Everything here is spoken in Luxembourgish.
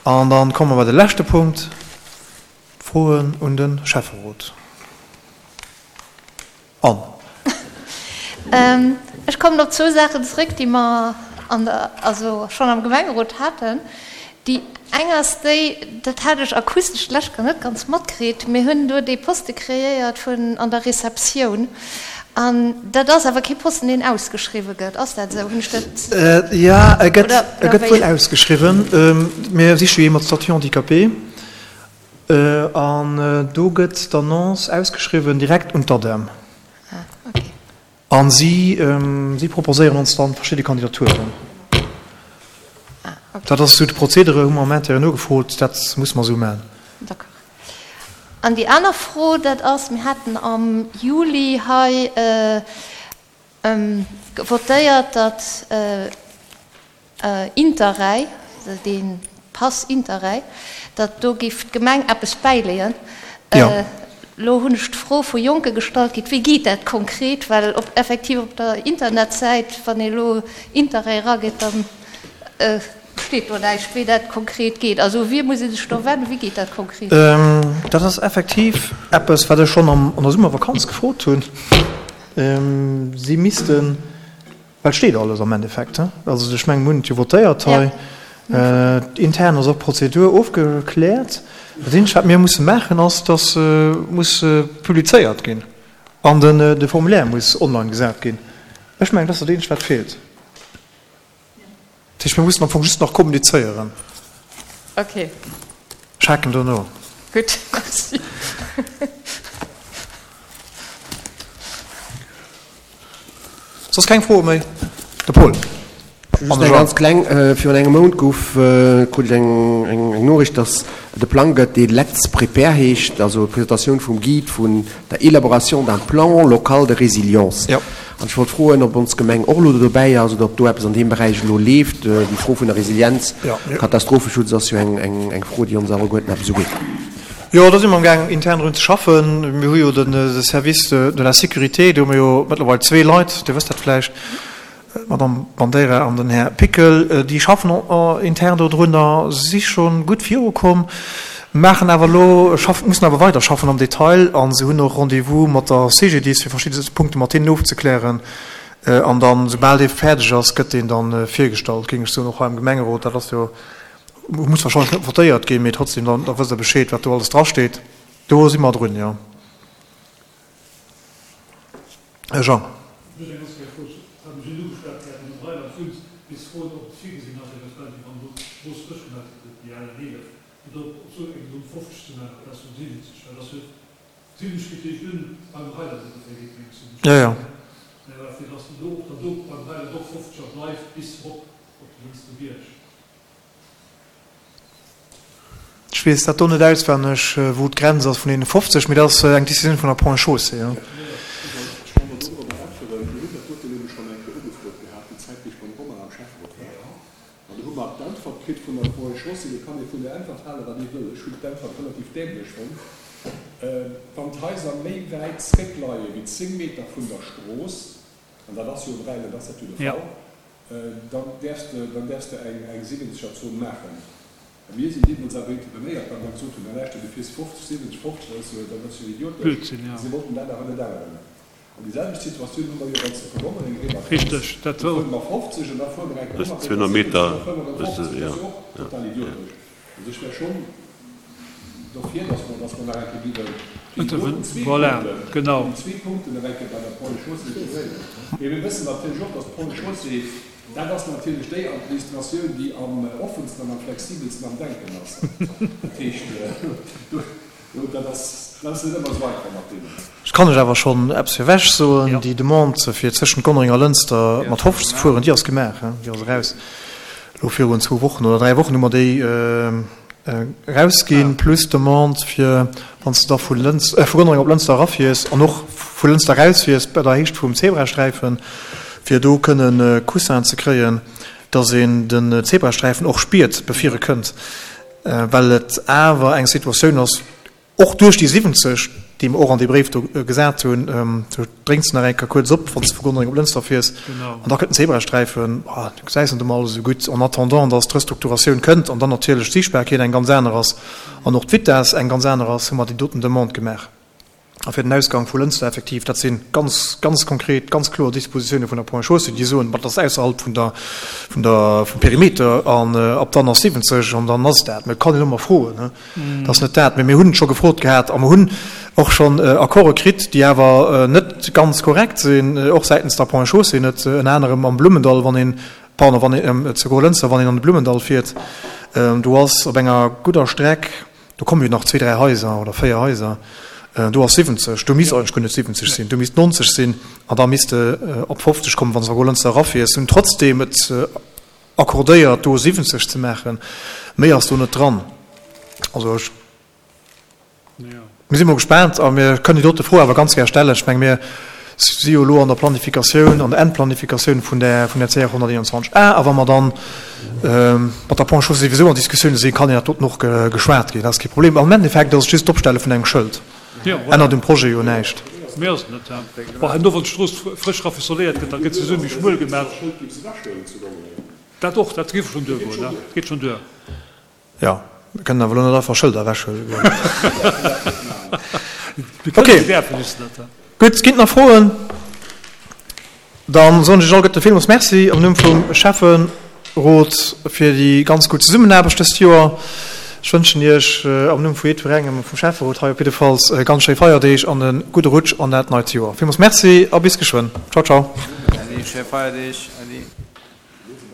An dann komme mer bei de leschte Punkt, d'Froen un de Schäfferot. Anne. Ech kommen op zwou Saachen zréck, déi mer an der, also schonn am Gemengerot haten. Déi eng ass déi, dat hat ech akustesch d'lescht Kéier net ganz matkritt, mir hunn do dee Poste kreéiert vun an der Receptioun. An dat ass awer kee Posten, deen ausgeschriwwe gëtt. Ass dat esou? Hunn ech dat. Jo, e gëtt, e gëtt wuel ausgeschriwwen. Mir siche jo ee mat Statut handicapé. An do gëtt d'Annonce ausgeschriwwen direkt un d'ADEM. Ah, okay. A si, si proposéieren ons dann verschidde Kandidaturen. Ah, okay. Dat ass esou de Prozedere, hu mer am Interne nogefrot, dat muss mer esou maachen. D'accord. An déi aner Fro, dat ass, mir haten am Juli hei votéiert, datt Interrail, dee Pass Interrail, datt do géif d'Gemeng eppes bäileeën. Elo hunn ech d'Fro vu Jonke gestallt kritt, wéi geet dat konkret, well op effektiv op der Internetsäit, wann ee elo Interrail erageet, da steet do näischt, wéi dat konkret geet. Also u wie muss ee sech do wennen, wéi geet dat konkret? Dat ass effektiv eppes, wat ech schonn an der Summervakanz gefrot hunn. Si missten. Well et steet alles am Endeffekt. Also ech mengen, mir hunn et jo votéiert hei. Intern ass och d'Prozedur ofgekläert. Dat eenzegt, wat mir musse maachen, ass, dass muss publizéiert ginn an de Formulaire muss online gesat ginn. Ech mengen, dat ass dat eenzegt, wat feelt. Dat heescht, mir mussen am Fong just nach kommunizéieren. Okay. Ech haken do no. Gutt, merci. Soss keng Froe méi? De Paul. Just eng ganz kleng, Virun engem Mount gouf, krut ech eng eng Noriicht, datt et e Plang gëtt, dee Let's Prepare heescht, also d'Presentatioun vum Guide vun der Élaboration d'un plan local de résilience. An ech wollt froen, ob ons Gemeng och elo do dobäi ass oder ob do eppes an deem Beräich elo leeft. Déi Fro vun der Resilienz, Katastropheschutz ass jo eng eng Fro, déi ons alleguerten eppes ugeet. Jo, do si mer amgaang intern drun ze schaffen. Mir hu jo de Service de la sécurité, do hu mer jo mëttlerweil zwee Leit, Dir wësst dat vläicht, d'Madame Bandeira an den Här Pickel, déi schaffen intern do drunner, si scho gutt virukomm, maachen awer elo, mussen awer weiderschaffen am Detail a se hunn och Rendez-vous mat der CGDIS, fir verschidde Punkte mat hinnen ofzeklären. An dann, soubal dee fäerdeg ass, gëtt deen da virgestallt, géing ech soen, och hei am Gemengerot. Dat ass jo Muss wahrscheinlech net votéiert ginn, mee trotzdem, da wësst Der Bescheed, wat do alles drasteet. Do si mer drun, jo. Här Jean. Just eng ganz kleng Fro, wat mech net ugeschwat hat, wann Der Rheinland wunnt, bis froen, ob et virgesinn ass, eventuell, wéi wann do d'Strooss frësch gemaach gëtt, déi al N11, fir do op esou eng Zone 50 ze maachen, amplaz vun 70, well dass jo 70 geet eréischt un beim Rheinland ongeféier, geet mengs du, Jo, jo. Mä fir dass do och dann do beim Rheinland och 50 a bleift bis erop op de Lënster Bierg. Ech weess dat do net auswenneg, wou d'Grenz ass vun deene 50, mee dat ass eng Décisioun vun der Ponts et Chaussées. Ech wollt do dorobber äntweren. Mir hunn dat doten nämlech schonn eng Kéier ugefrot gehat, déi Zäit, wéi ech beim Romain am Schäfferot war. An do hu mer d'Äntwert kritt vun der Ponts et Chaussées. Do kann ee vun der Äntwert halen, wat ee wëll. Ech hunn d'Äntwert relativ dämlech fonnt. Wann d'Haiser méi wäit zréckleie wéi 10 Meter vun der Strooss, an dat ass jo um Rhäinland ass dat jo de Fall, Dann däerfs de, dann däerfs de eng, eng Siwwenzeger-Zon maachen. A mir sinn deemools awer intervenéiert, well mer gesot hunn, Na lauschter, du fiers 50, 70, 50, dat ass jo, dat ass jo idiotesch. Blödsinn, jo. Si wollten dat awer net änneren. An déi selwecht Situatioun hu mer jo, wann s de vun Gonnereng eriwwer kënns. Richteg, dat Do fuere mer 50 an da fuere mer eng Kéier 100 Meter 70 an da fuere mer erëm 50. Dat ass jo och total idiotesch. Also ech wär schonn dofir, dass mer, dass mer nach eng Kéier géiwen déi doten zwee Punkten, déi zwee Punkten nach eng Kéier bei der Ponts et Chaussées diskutéieren. Mee mir wëssen natierlech och, dass d'Ponts et Chaussées, dat ass natierlech déi Administratioun, déi am offensten an am flexibelsten am Denken ass. Dat heescht, do, do, dat ass, dat ass net ëmmer esou einfach mat deenen. Ech kann lech awer schonn eppes virwech soen, Déi Demande, fir zwëschent Gonnereng a Lënster mat 50 ze fueren, déi ass gemaach, déi ass eraus. Elo virun zwou Wochen oder 3 Wochen hu mer déi erausginn, plus d'Demande fir, wann s de da vu Lëns, vu Gonnereng op Lënster erafiers an och vu Lënster erausfiers bei der Héicht vum Zebrasträifen, fir do kënnen Coussin ze kréien, dass een den Zebrasträifen och spiert, bevir e kënnt, well et awer eng Situatioun ass. Och duerch déi 70, déi mer och an dee Bréif do gesat hunn, do drénks de nach eng Kéier kuerz op, wann s de vu Gonnereng op Lënster fiers, an da kënnt den Zebrasträifen, ah, du gesäis net emol alles esou gutt, en attendant dass d'Restrukturatioun kënnt an dann natierlech d'Siichtbarkeet eng ganz aner ass an och d'Vitesse eng ganz aner ass, hu mer déi doten Demande gemaach. A fir den Ausgang vu Lënster effektiv, dat si ganz, ganz konkret, ganz kloer Dispositiounen vun der Ponts et Chaussées, déi soen, dat ass ausserhalb vun der, vun der, vum Perimeter an ab dann ass 70 an dann ass et dat. Mä et kann een ëmmer froen, ne? Dat ass net dat. Mä mir hunn et scho gefrot gehat a mer hunn och schonn Accorde kritt, déi awer net ganz korrekt sinn, och säitens der Ponts et Chaussées net, ënner anerem am Blummendall, wann een, pardon, wann een, zu Golënster, wann een an de Blummendall fiert, do ass op enger gudder Streck, Do komme jo nach zwee, dräi Haiser oder véier Haiser. Do ass 70. Do misst eigentlech guer net 70 sinn. Do misst 90 sinn an da misst de op 50 kommen, wann s de a Golënster erafiers. Hunn trotzdeem et accordéiert, do 70 ze maachen. Méi ass do net dran. Also ech, mir si mol gespaant a mir kënnen déi dote Fro awer ganz gär stellen. Ech menge mir si jo elo an der Planifikatioun, an der Endplanifikatioun vun där, vun där CR 121 A, a wa mer dann mat der Ponts et Chaussées souwisou an Diskussioune sinn, kann een dat doten och geschwat ginn, dat ass kee Problem. Am Endeffekt ass et just d'Opstelle vun engem Schëld, ännert um Projet jo näischt. Méi ass et net. Bon, herno wann d'Strooss frësch raffisoléiert gëtt, da gëtt se esou méi schmuel gemaach. Dat och, dat géif schonn duergoen, dat geet schonn duer. Jo, mir kënnen awer elo net einfach Schëlder ewechhuele goen. Ok, gutt, ginn et nach Froen? Dann soen ech iech alleguerte villmools Merci am Numm vum Schäfferot fir déi ganz gutt Zesummenaarbecht dëst Joer. Ech wënschen iech am Numm vu jiddwerengem vum Schäfferot hei op jiddefalls ganz schéi Feierdeeg an e gudde Rutsch an dat neit Joer. Villmools Merci a bis geschwënn. Ciao, ciao. Äddi, schéi Feierdeeg. Äddi.